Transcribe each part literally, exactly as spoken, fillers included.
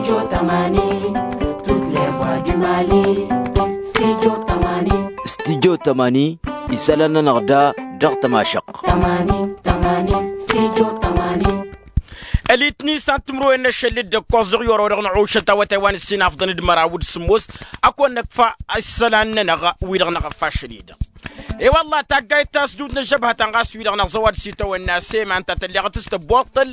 Studio tămani. Studio tămani. Isălan-nănăɣ da dăɣ-tămašăqq. Ălitni s-ad-timǝrwen n-ašăl d-ǝkkoẓ dăɣ-i orăw dăɣ-năɣ ušăt awătay wa n-ǝssin afḍăn d-măraw d-sǝmmos. Ad-kăwăn-năkfa isălan-nănăɣ wi-dăɣ n-aɣăffa ašăl-i-dăɣ. E-wălla taggayt ta s-dut n-ăžžăbhătăn ɣas wi-dăɣ năẓẓăwăd s-itawănna sema ǝnta tălleɣăt s-tăbboṭṭăl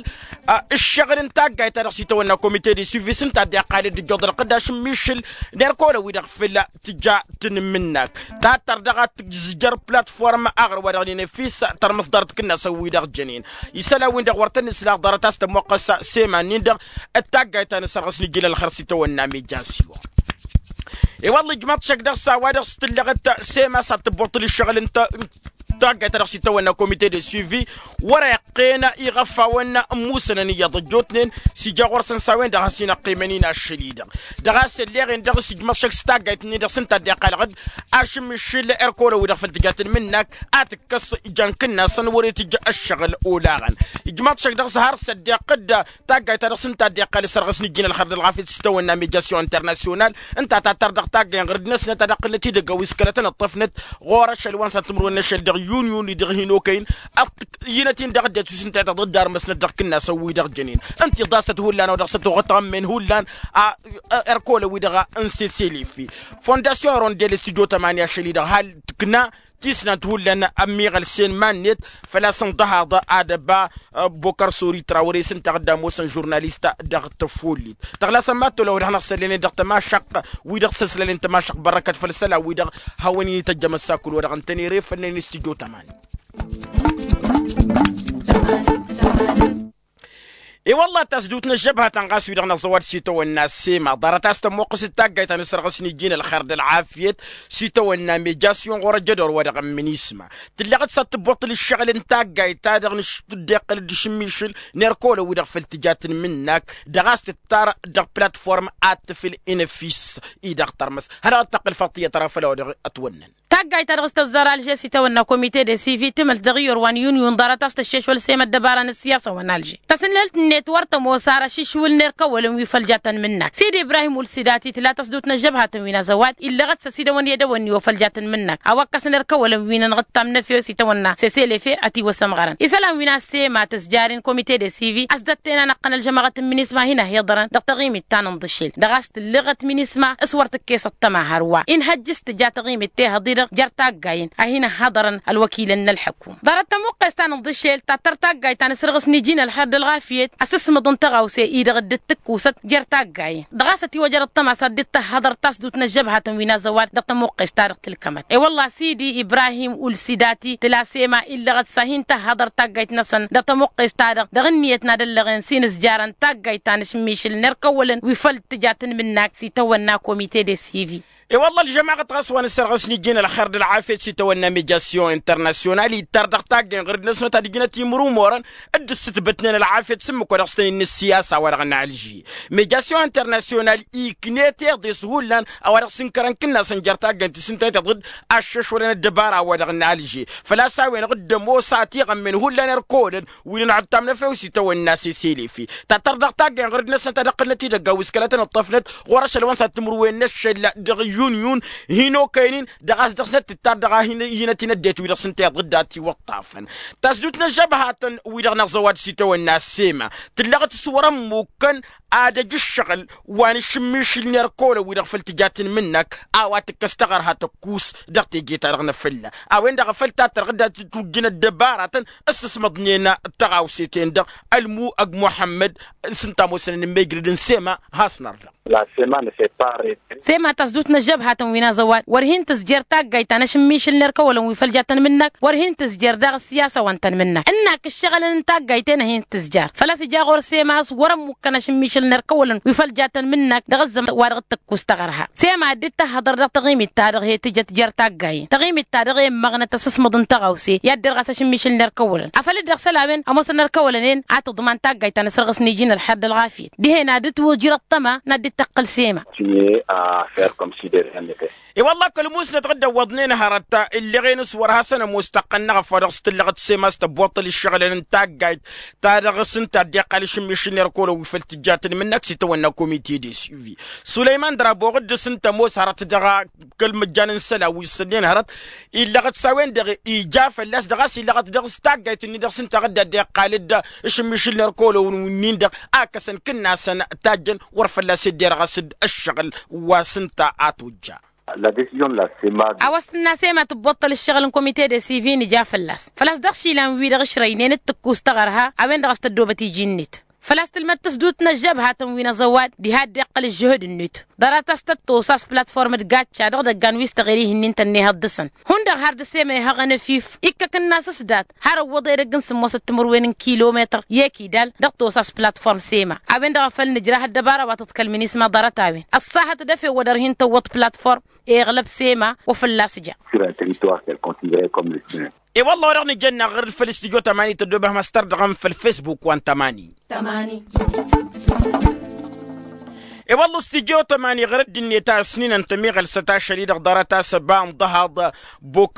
ǝššăɣǝl n-taggayt-ta-dăɣ s-itawănna komite de suivi s-ǝnta a dd-iqqal d-ǝjjuḍăl ɣǝddaš n-mišǝl n-erk olăn wi-dăɣ făll-tǝja tǝnmǝnnak. Tattăr daɣ ad-tǝzjăr platform aɣrǝw wa dăɣ-nǝnefis tărmǝs ḍarăt kǝnnasăn wi-dăɣ jănen isălan-win-dăɣ wăr tăn-nǝslaɣ ḍarăt a-s tămoqqăs sema-nin-dăɣ d-taggayt ta n-asărɣǝs n-ijin ălxer s-itawănna mijasiwăn. E-wălla ijmaḍ šăkk dăɣ-s a-wa dăɣ-s tǝllăɣăt sema s-ad-tǝbbuṭṭǝl ǝššăɣǝl n-taggayt ta dăɣ-s itawănna komite de suivi wăr-iqqen iɣăffawăn ămmusănăn iyyăḍ ăjjootnen s-ija ɣur-săn s-a-wen-dăɣ has-in-ăqqimăn-in ašăl-i-dăɣ. Dăɣ-a-s ălleɣ-en dăɣ-s ijmăḍ šăkk s-taggayt-ni-dăɣ s-ǝnta a dd-iqqalăɣ-dd ašǝmmišǝl erk olăn wi-dăɣ făll-tǝja tǝnmǝnnak a tǝkkăs jan kǝnnasăn wăr-itǝjj ăššăɣǝl olaɣăn. Ijmăḍ šăkk dăɣ-s har s-ăddeɣ-dd taggayt ta dăɣ-s ǝnta a dd-iqqal s-ărɣǝs n-ijin ălxer d-ălɣafyăt s-itawănna mijasyon internasyonal ǝnta tattăr dăɣ-taggay n-ɣăr-dd-năsnăt ad-ăqqǝlnăt idăgg a-wa isălătăn ǝṭṭăfnăt ɣur-ašăl wa n-săntimrǝwen n-ašăl dăɣ-yunyun-i dăɣ-hin-okăyăn. Ăyynăt-in-dăɣ ăddinăt wi s-ǝnta i-tăḍ dd-armăsnăt dăɣ-kǝnnasăn-wi-dăɣ jănen ǝnta iḍasăt hullan a-wa dăɣ-săt oɣătăɣămmen hullan. A erk olăn-wi-dăɣ n-seselefe fondasyon rondel s-tijo tămani ašăl-i-dăɣ hal tǝkna tisnant hullan ămmiɣălsen iman-net făl-a-s ǝnḍăhaḍ ad-ăba bokăr sori trawăre s-ǝnta a dd-ămoosăn žurnalist dăɣ-tăfollit. Tăɣlasăn mad-tolăwăd hanăɣ-săllănen dăɣ-tămašăqq wi-dăɣ s-ăslălen tămašăqq bărăkăt făll-isălan-wi-dăɣ hawăn-in-ităjjămăt s-akǝl wa dăɣ-ǝntănere făll-năyăn s-tijo tămani. I-wălla tasdut n-ăžžăbhătăn ɣas wi-dăɣ năẓẓăwăd s-itawănna sema ḍarăt a-s tămmoqqăs d-taggayt ta n-asărɣǝs n-iji n-ălxer d-ălɣafyăt s-itawănna mejasyon ɣur-ăjjădor wa dăɣ-ămmǝn isma. Tǝlleɣ-dd s-ad-tǝbbuṭṭǝl ǝššăɣǝl n-taggayt ta dăɣ-nǝšš tǝddeɣ-dd ašǝmmišǝl n-erk olăn wi-dăɣ făll-tǝja tǝnmǝnnak dăɣ-a-s tǝttar dăɣ-platform ad-tǝfǝl inăfis-i-dăɣ tărmăs. Hănăɣ-dd-tăqqǝl faḍt iyyăt ra făll-a-wa dăɣ-ătwănnăn. Taggayt ta dăɣ-s tăzzar alže s-itawănna komite de sivi tǝmălt dăɣ-iyyăr wa n-yunyun ḍarăt a-s tăššešwăl semed dăbara n-ǝssiyasăn wa n-alže. Tăsǝnhǝlt-net wăr tămoos ar ašǝšwǝl n-erk ăwwălăn wi făll-ja tăn-mǝnnak sidi ibrahim ulsidati tǝla tăsdut n-ăžžăbhatăn wi n-azăwad illăɣăt s-ăsidăwăn i-edăwănni wa făll-ja tăn-mǝnnak a-wa ǝkkăsăn erk ăwwălăn wi n-anɣǝttam n-efew s-itawănna seselefe ătiwăsăm ɣărăn isălan wi n-asema tǝzjaren komite de sivi ăsdătten anăqqăn ălžămăɣăt n-minisma hin-ăhiḍărăn dăɣ-taɣimit ta n-inḍǝšel dăɣ-a-s tǝllăɣăt minisma s-wăr tǝkkes ăṭṭăma hărwa inhăjj s-tǝja taɣimit tehăḍ-i-dăɣ jer-taggayen a hin-ăhhăḍărăn ălwăkilăn n-ălḥăkum. Ḍarăt tămuqqes ta n-inḍǝšel tattăr taggayt ta n-asărɣǝs n-iji n-ălxer d-ălɣafyăt ăsǝsmăḍ n-tăɣawse-i-dăɣ dd-tǝkkusăt jer-taggayen dăɣ-a-s ătiwăjăr ăṭṭăma s-ad-dd-tăhhăḍăr tasdut n-ăžžăbhatăn wi n-azăwad dăɣ-tămuqqes-ta-dăɣ tǝlkămăt. I-wălla sidi ibrahim ulsidati tǝla sema illăɣăt s-ad-hin-tăhhăḍăr taggayt-năsăn dăɣ-tămuqqes-ta-dăɣ dăɣ-ǝnniyăt n-ad-ăllăɣen s-inǝzjarăn taggayt ta n-ašǝmmišǝl n-erk ăwwălăn wi făll-tǝja tănmǝnnak s-itawănna komite de sivi. I-wălla ălžămaɣăt ɣas wa n-asărɣǝs n-iji n-ălxer d-ălɣafyăt s-itawănna mijasyon internasyonal ittăr dăɣ-taggayen ɣur-dd-năsnăt ad-ǝjnăt imrumorăn dd-ǝssǝtbătnen ălɣafyăt s-ǝmmǝk wa dăɣ-s tăn-innă ǝssiyasa wa dăɣ-nalži. Mijasyon internasyonal iknet iḍes hullan a-wa dăɣ-s ǝnkărăn kǝnnasăn jer-taggayen ti s-ǝntăneḍ iḍǝd aššăšwălăn ăddăbara wa dăɣ-nalži. Făl-a-s a-wen-dăɣ dd-ămoos a tiɣămmen hullan erk olăn wi n-ănɣǝttam n-efew s-itawănna seselefe. Tattăr dăɣ-taggayen ɣur-dd-năsnăt ad-ǝqqǝlnăt idăgg a-wa s-kăla tăn-ǝṭṭăfnăt ɣur-ašăl wa n-săr timǝrwen n-ašăl dăɣ-yunyun hin-okăyăn-in dăɣ-a-s dăɣ-snăt tǝttar dăɣ-a hin-iyyǝnăt-in ăddinăt wi-dăɣ s-ǝnta iḍǝdda tiwăṭṭafăn. Tasdut n-ăžžăbhatăn wi-dăɣ n-aẓăwad s-itawănna sema tǝllăɣ-t s-wăr-ămmukăn ad-ăj ǝššăɣǝl wa n-ašǝmmišǝl n-erk olăn wi-dăɣ făl tǝja tǝnmǝnnăk a-wa tǝkkăs taɣărha tăkkus dăɣ-teje-ta-dăɣ n-afălla. A-wen-dăɣ a făl tattăr ɣǝdda tǝtwǝjjǝn ăddăbaratăn s-ǝsmăḍnen tăɣawse-ten-dăɣ ălmu ăgg muḥămmăd s-ǝnta a ămoosăn ănmejrăd n-sema. Has-nărdăɣ. Sema tasdut n-ăžžăbhatăn wi n-aẓăwad wăr hin-tǝzjăr taggayt ta n-ašǝmmišǝl n-erk ăwwălăn wi făl ja tăn-mǝnnăk wăr hin-tǝzjăr daɣ ǝssiyasăn wa n-tăn-mǝnnăk ǝnnak ǝššăɣǝlăn n-taggayt-en a hin-tǝzjăr făl-a-s ija ɣur-sema a-s wăr-ămmukkăn ašǝmmišǝl n-erk ăwwălăn wi făl ja tăn-mǝnnăk dăɣ-ăzzăman wa dăɣ-t-tǝkkus tăɣărha. Sema a dd-tăhhăḍăr dăɣ-taɣimit-ta-dăɣ he-tǝjăt jer-taggayen taɣimit-ta-dăɣ i-ǝmmăɣnăt asǝsmăḍ n-tăɣawse i-ad-derɣas ašǝmmišǝl n-erk ăwwălăn afăl dd-dăɣ-s ălawăn ămoosăn erk ăwwălăn-en a tǝḍman taggayt ta n-asărɣǝs n-iji n-ălxer d-ălɣafyăt dihen ad-dd-twǝjrăḍ tăma n-ad-dd-tăqqǝl sema. Signer à faire comme si de rien n'était. I-wălla kăl-musnăt ɣǝddăwwăḍnen hărăt illeɣen s-wăr hasăn-ămoos tăqqăn n-eɣăf wa dăɣ-s tǝllăɣăt sema s-tăbboṭṭăl ǝššăɣǝlăn n-taggayt ta dăɣ-s ǝnta a dd-iqqal ašǝmmišǝl n-erkolo wi făl tǝjja tǝnmǝnnak s-itawănna komite de suivi. Sulăyman draboɣ dd-s ǝnta ămoos hărăt dăɣ-kăl-măjjan n-isălan wi s-sănnen hărăt illăɣăt s-a-wen-dăɣ ija fălla-s dăɣ-a-s illăɣăt dăɣ-s taggayt-nin-dăɣ s-ǝnta a dd-iqqal d-ašǝmmišǝl n-erkolo-win-dăɣ a ǝkkăsăn kǝnnasăn tajjăn wăr fălla-s dd-irɣăs d-ǝššăɣǝl wa s-ǝnta a tojja. La decizion la sema. A-wa s-tǝnna sema tǝbboṭṭăl ǝššăɣǝl n-komite de sivi nǝja fălla-s făl-a-s dăɣ-išilan-wi-dăɣ ǝšrăynen d-tǝkkus taɣărha a-wen-dăɣ a-s tăddoobăt iji-net. Făl-a-s tǝlmăd tǝsdut n-ăžžăbhatăn wi n-aẓăwad diha dd-iqqăl ǝžžǝhǝd-net ḍarăt a-s tăt-tosa s-platform d-gacca dăɣ-idăggan wi s-tăɣeli ihǝnnin-tăn n-ehăḍ dăɣ-săn. Hundăɣ har d-sema ihăɣăn efif ikkăk ǝnnas s-dat har ăwwăḍ edăgg n-sǝmmosăt timǝrwen n-kilometăr i-ekidal dăɣ-tosa s-platform sema. A-wen-dăɣ a făl nǝjrah ăddăbara wa tǝḍkăl minisma ḍarăt-a-wen ăṣṣahăt d-efew wa dăr-hin-tăwwăḍ platform iɣlăb sema wa fălla-s ja. Sur un territoire qu'elle considérait comme le sien. E-wălla wa dăɣ-nǝjănna ɣur-dd făll-stujo tămani tăddoobem ăstărdăɣăm făll-facebook wa n-tămani. E-wălla stujo tămani ɣur-dd-net a ăsninăn tămiɣălsăt ašăl-i-dăɣ ḍarăt a-s ăba n-ḍăhaḍ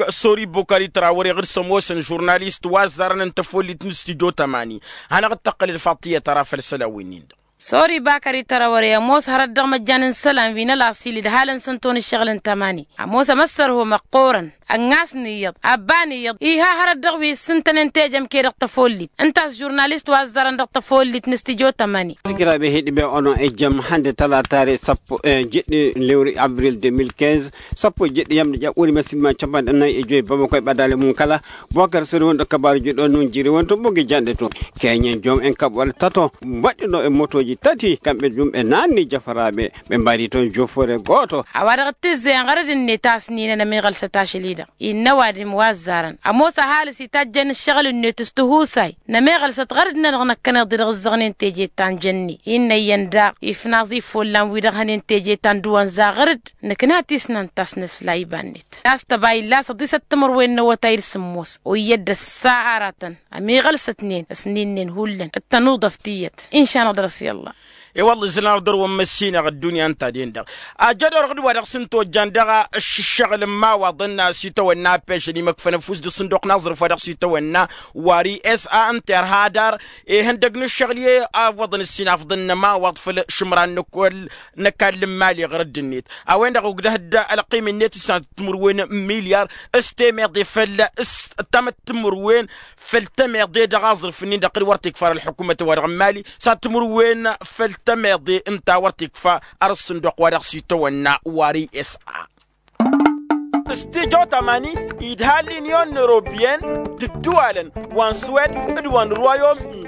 sori bokări trawăre ɣur-s ămoosăn žurnalist wa ăzzarăn n-tăfollit n-stujo tămani. Hanăɣ-dd-tăqqălăd faḍt tiyyăt ara făll-isălan wi-nin-dăɣ. Sori bakări tărawăre ămoos hărăt dăɣ-măjjan n-isălan wi n-ălaṣil d-halăn s-ǝnton ǝššăɣǝl n-tămani ămoos ămăssărho măqqoorăn. Ănnas n-iyyăḍ abba n-iyyăḍ iha hărăt dăɣ-wi s-ǝntănen teje ămke dăɣ-tăfollit ǝnta a-s žurnalist wa ăzzarăn dăɣ-tăfollit n-stujo tămani. Tǝjrabe hi-dd-be-onoɣ ejăm hande tălatare săpp-e jǝddi n-lewri abril deux mille quinze. Săpp-e jǝddi i-amdăj a uri măssin ma n-căbban d-ănnăy ejoi bamăkoy ɓadalem n-kăla bokăr săr-wen d-ăkkăbar jǝddi-on n-jiri-wen tobog ijandăt-on. Kenyen jom n-kăb wăr-tăto băddi-no n-motoji tăt-i kănbe jum n-anni jăfărabe. Ɓe n-badi-ton jofore goto. A-wa dăɣ-tǝzzeyăn ɣărăd-net a ăsninăn ămiɣălsăt ašăl-i-dăɣ innă ăwadǝm wa ăzzarăn ămoos ăhalǝs itajjăn ǝššăɣǝl-net s-tihusay. N-ămiɣălsăt ɣărăd-nănăɣ năkkăneḍ-i dăɣ-ǝzzăɣnen teje ta n-jănni. Innă iyyăn daɣ ifnaẓ ifollan-wi-dăɣ hănen teje ta n-dăwănza ɣărăd. Nǝkna tisnant ta s-nǝsla iba-net ta s-tăba illa s-ăḍisăt timǝrwen n-awătay d-sǝmmos oyyăt d-ăssa aratăn. Ămiɣălsătnen ăsninen hullan d-tănuḍăft iyyăt. Inšanăɣ dăr-s i-ălla. I-wălla izlan-aɣ dăr-wăn măssinăɣ ăddunya ǝnta-den-dăɣ. Ajădor ɣǝd-wa-dăɣ s-ǝntojjan dăɣ-ǝššǝššăɣǝl n-imawaḍăn s-itawănna apežăn imăkfăn ăfuss d-asǝnduq n-aẓrǝf wa dăɣ-s itawănna wari s-a ǝnta irha adar. Ihăndăg n-ǝššăɣǝl i-a ǝwwăḍăn ǝssin afḍăn n-ămawaḍ făll-išǝmran n-ăkall n-ăkall n-imali ɣur-ăddinnet. A-wen-dăɣ ogdăh-dd ălqim-net s-ad-timǝrwen n-milyar s-temeḍe făll-s tamăt timǝrwen făll-temeḍe dăɣ-aẓrǝf-nin-dăɣ ɣǝd wăr t-ikfa ar ălḥukumăt-wa-dăɣ n-imali s-ad-timǝrwen făll-temeḍe ǝnta wăr t-ikfa ar ăssǝnduq wa dăɣ-s itawănna wari s-a. S-tijo tămani idha l-inyon n-europiyăn d-ǝddǝwalăn wa n-swed d-wa n-rwayom-ini.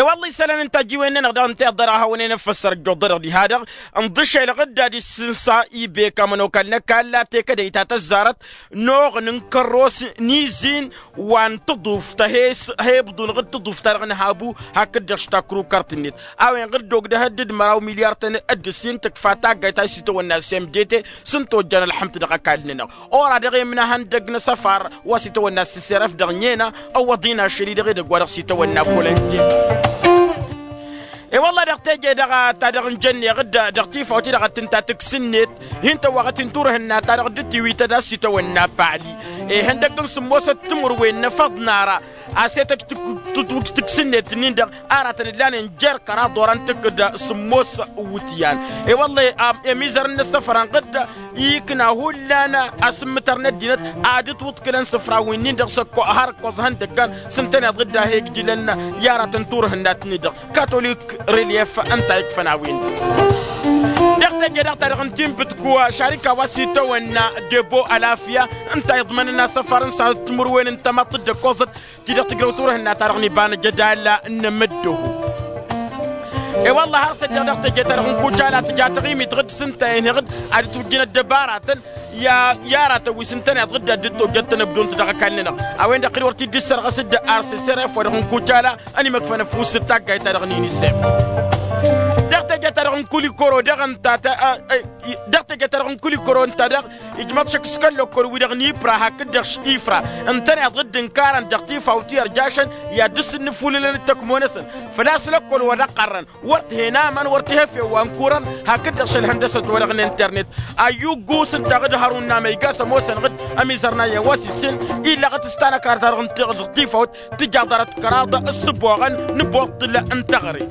I-wălla isălan n-tajiwen-nănăɣ daɣ ǝnta iḍḍăr a hawăn-en-ăffăssăr ăjjoḍădăɣ diha-dăɣ. Ǝnḍǝšel ɣǝdda d-issǝnsa ibek amănokal n-ăkall la tekădăy ta tăzzarăt n-oɣ n-inkărros n-izin wa n-tǝḍuft he-s he-ibḍun ɣǝd tǝḍuft-ta-dăɣ n-habu. Hakd-dăɣ štakrukărt-net a-wen ɣǝd d-ogdăh dd-măraw milyar-tăn d-ǝssin tǝkfa taggayt a s-itawănna s-m d-t s-ǝnta ojjan ălḥămt dăɣ-ăkall-nănăɣ. Ora-dăɣ i-imnahăn dăgg-năsăfar wa s-itawănna s-sărăf dăɣ-nena ăwwăḍ-in ašăl-i dăɣ-edăgg wa dăɣ-s itawănna bolăntin. I-wălla dăɣ-teje-dăɣ ta dăɣ-n jănneɣ-dd dăɣ-tifawt-i-dăɣ ad-tǝnta tǝks-net hin-tăwwaɣăt-in turhǝnna-ta-dăɣ dd-tiwităd a-s itawănna paɣli. Ihăndăgg n-sǝmmosăt timǝrwen n-efăḍ n-ara a-s etăj tǝtwǝj tǝks-net-nin-dăɣ. Aratăn ǝllanen jer-kăraḍ oran tǝkkǝd sǝmmos iwǝtyan. I-wălla i-amizăr n-asăfrăn ɣǝdda ikna hullan asǝmmǝtăr n-ăddinăt ad-ǝtwǝḍkǝlăn sǝfra-win-nin-dăɣ s-ăkko har ǝkkoẓ ihăndăggan s-ǝntăneḍ ɣǝdda he-ǝjjǝlăn i-aratăn turhǝnna-tăn-dăɣ. Katolik relief ǝnta ikfăn a-wen-dăɣ. Dăɣ-teje-dăɣ ta dăɣ-n tinbǝtku šarika wa s-itawănna debo alafya ǝnta iḍmănăn asăfar n-sănăt timǝrwen n-tamăḍt d-ăkkoẓăt ti-dăɣ tǝjrăw turhǝnna-ta-dăɣ n-iba n-ajădal n-amǝddoho. I-wălla har s-ăjjăɣ dăɣ-teje-ta-dăɣ n-kucala tǝja taɣimit ɣǝd s-ǝnta-en-hi-ɣǝd ad-dd-tujjǝn ăddăbaratăn i-aratăn wi s-ǝntăneḍ ɣǝd ad-dd-tojjăt tanăbdunt dăɣ-ăkall-nănăɣ. A-wen-dăɣ ɣǝd wăr t-dd-issărɣăs d-arsesăref wa dăɣ-n kucala ănimăkfăn ăfuss d-taggayt-ta-dăɣ n-inisef. Dăɣ-teje Dăɣ-teje-ta-dăɣ n-kul ikoro dăɣ-ǝnta ta dăɣ-teje-ta-dăɣ n-kul ikoro ǝnta dăɣ-ijmăḍ šăkk s-kăl-lăkkol-wi-dăɣ n-ipra hakd-dăɣ š-ifra ǝntăneḍ dd-ǝnkarăn dăɣ-tifawt i-ărjašăn i-ad-dăr-s dd-nǝfulǝlăn d-tăkmo-năsăn. Făl-a-s lăkkol wa dăɣ-ɣărrăn wăr t-hen aman wăr t-ihăf i-wa n-kuran hakd-dăɣ šălhăn dăr-săt wa dăɣ-n internet. Ayyuk gus ǝnta ɣǝd-hărun n-amăygas ămoosăn ɣǝd ămizărnayăn wa s-issin illăɣăt s-tanăkra-ta-dăɣ n-tiɣǝl dăɣ-tifawt tǝjjaḍ dăr-ăḍkăraḍ s-sǝboɣăn n-iboṭṭǝl n-teɣăre.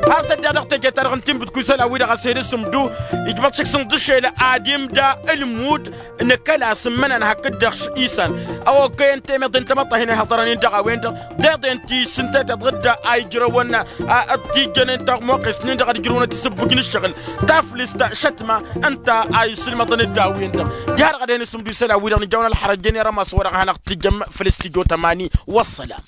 Har s-ăddiɣ dăɣ-teje-ta-dăɣ n-tinbǝdku isălan-wi-dăɣ a-s edăs ǝmdu ijmăḍ šik s-inḍǝšel ad-imda ǝlmud n-kăla s-ǝmmǝnăn hakd-dăɣ isan. Ăwokăyăn temeḍe n-tamăḍt a hin-ihăḍărăn-in dăɣ-a-wen-dăɣ deḍen ti s-ǝnta teḍ ɣǝdda a ijrăwăn a ăttijjănen taɣmoqest-nin-dăɣ ad-ǝjrǝwăn ad-t-isǝbbǝj n-ǝššăɣǝl taflǝst šătma ǝnta a isǝlmăḍăn dd-a-wen-dăɣ. Diha-dăɣ ad-hin-isǝmdu isălan-wi-dăɣ nǝjawăn ălxărăt jăn i-rămas wa dăɣ-hanăɣ-t tǝjjăm făll-s tǝjo tămani. Wăssălam.